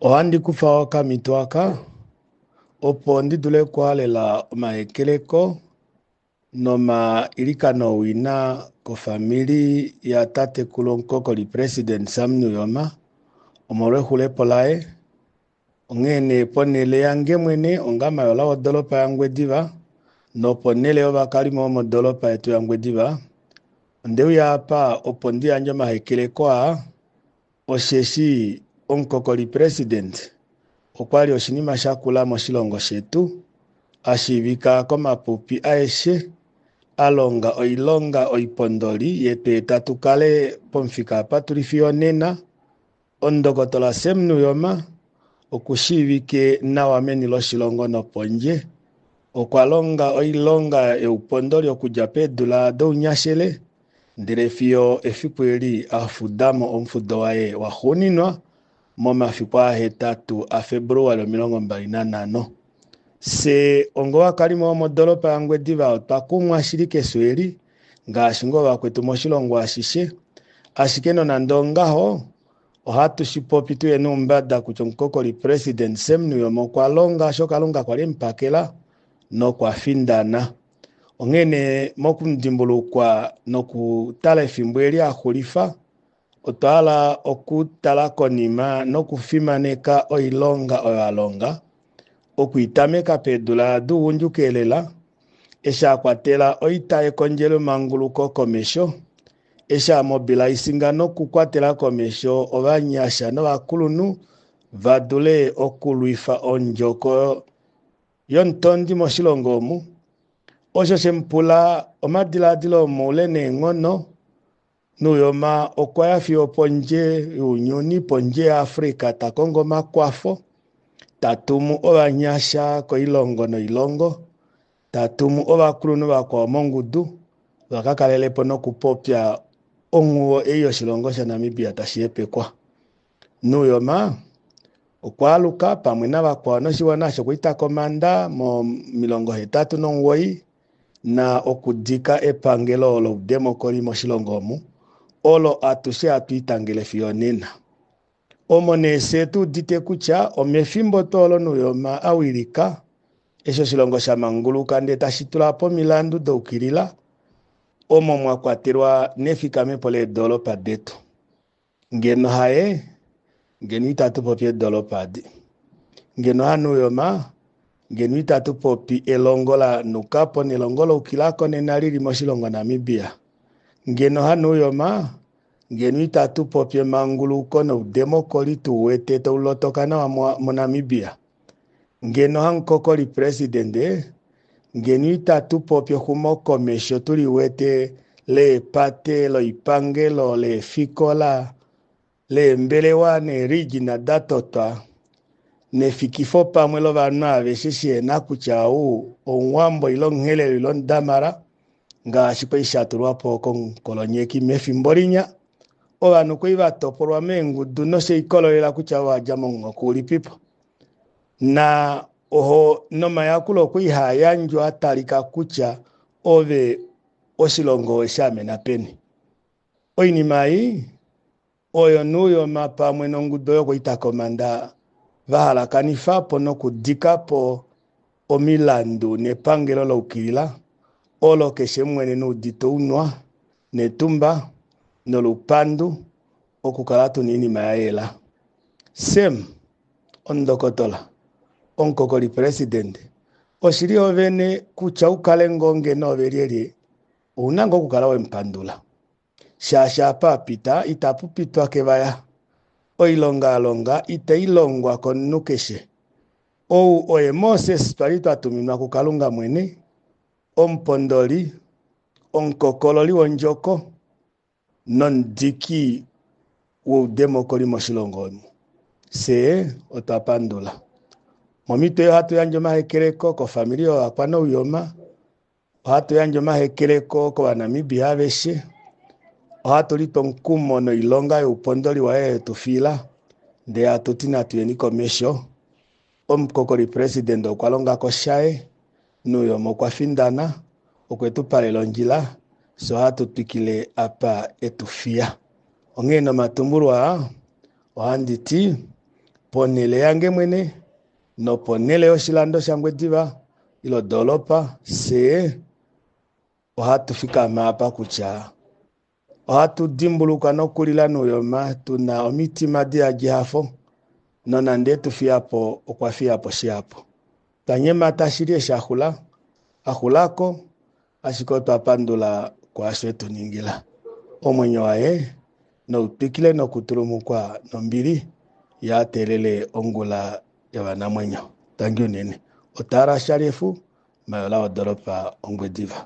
Ohandi kufa okamhito aka opo ndi dule okuhalela omahekeleko nomailikano owina kofamili yatatekulu omukokoli president Sam Nujoma omolwexulepo laye. Onghee nee ponhele yange mwene onga mayola wodoolopa yaNgwediva noponhele yovakalimo vomodoolopa yetu yaNgwediva, onde uya apa opo ndi yandje omahekeleko aa osheshi omukokoli president okwa li oshinima sha kula moshilongo shetu, a shiivika komapupi aeshe, a longa oilonga oipondoli yetu eta tu kale pomufika apa tuli fiyo onena. Omundokotola Sam Nujoma okushiivike nawa meni loshilongo nopondje. Okwa longa oilonga youpondoli okudja peedula dounyashele ndele fiyo efiku eli a fuda mo omufudo waye waxuuninwa momafiku ahetatu aFebruali 25. Fye ongovakalimo vomodoolopa yaNgwediva otwa kumwa shili kefyo eli ngaashi ngoo vakwetu moshilongo ashishe, ashike nonande ongaho ohatu shi popi tuye noumbada kutya omukokoli president Sam Nujoma okwa longa osho Kalunga kwali emupakela nokwa findana. Onghee nee mokumudimbulukwa nokutala efimbo eli a xulifa, otwa hala okutala konima nokufimaneka oilonga oyo a longa, okuitameka peedula dougundjuka elela, eshi a kwatela oita yekondjelo manguluko komesho, eshi a mobilaisinga nokukwatela komesho ovanyasha novakulunhu va dule okulwifa ondjoko yomutondi moshilongo omu, osho she mu pula omadilaadilo omoule neenghono. Nujoma okwa ya fiyo pondje younyuni, pondje yaAfrica, ta kongo omakwafo, ta tumu ovanyasha koilongo noilongo, ta tumu ovakulunhu vakwao mongudu va ka kalele po nokupopya onghuwo ei yoshilongo shaNamibia tashi hepekwa. Nujoma okwa aluka pamwe navakwao noshiwana shokuita komanda mo 89 na okudika epangelo loudemokoli moshilongo omu, olo atushe hatu itangele fiyo nena. Omo nee fye tu udite kutya omefimbo tuu olo Nujoma a wilika, eshi oshilongo sha manguluka ndee tashi tula po omilandu doukilila, omo mwa kwatelwa nefikamepo leedoolopa detu. Ngeno haye, ngeno itatu popi eedoolopa adi. Ngeno haNujoma, ngeno itatu popi elongo la nuka po nelongo loukilako nena lili moshilongo Namibia. Ngeno haNujoma, ngeno itatu popi emanguluko noudemokoli tu wete tau lotoka nawa moNamibia. Ngeno hamukokoli presidente, ngeno itatu popi exumokomesho tu liwete leepate, loipangelo, leefikola, leembelewa neeregina da totwa, nefikifo pamwe lovanhu aveshe shihena kutya ou Omuwambo ile Omuherero ile Omudamara, ngaashi kwali sha tulwa po komukolonyeki mefimbo linya. Ovanhu kwali va topolwa meengudu noshe ikololela kutya owa dja momuhoko ulipipo. Na oho nomayakulo okwa haa yandjwa a talika kutya ove oshilongo we shi amena peni. Oinima ei oyo Nujoma pamwe nongudu oyo yokuita komanda va halakanifa po nokudika po omilandu nepangelo loukilila olo keshe mwene noudite ounwa netumba nolupandu okukala tuna oinima ya yela. Sam, omundokotola, omukokoli presidente, oshili ovene kutya ukale ngoo ngeno ove lyelye, ouna ngoo okukala we mupandula. Shaashi apa a pita itapu pitwa kevaya. Oilonga a longa itai longwa komunhu keshe. Ou oye Moses twali twa tuminwa kuKalunga mwene, omupondoli, omukokololi wondjoko nomudiki woudemokoli moshilongo omu. Fye otwa pandula. Momitwe ohatu yandje omahekeleko kofamili yovakwaNujoma, ohatu yandje omahekeleko kOvanamibia aveshe, ohatu litwa omukumo noilonga youpondoli waye yetu fiila, ndee hatu ti natu yeni komesho. Omukokoli president okwa longa ko shaye, Nujoma okwa findana, okwe tu palela ondjila, fye ohatu twikile apa etu fiya. Onghee nomatumbulwa aa, ohandi ti. Ponhele yange mwene noponhele yoshilando shaNgwediva ile odoolopa, fyee ohatu fikama apa kutya ohatu dimbulukwa nokulila Nuyoma tuna omitima diyadi ehafo, nonande etu fiya po okwa fiya po shihapu. Twa nyemata shili eshi a xula, a xulako, ashike otwa pandula kwaasho etu ningila. Omwenyo waye nau twikile nokutulumukwa nombili, ye a teelele ongula yovanamwenyo. Tangi unene. Otaara Shalyefu, mayola wodoolopa Ongwediva.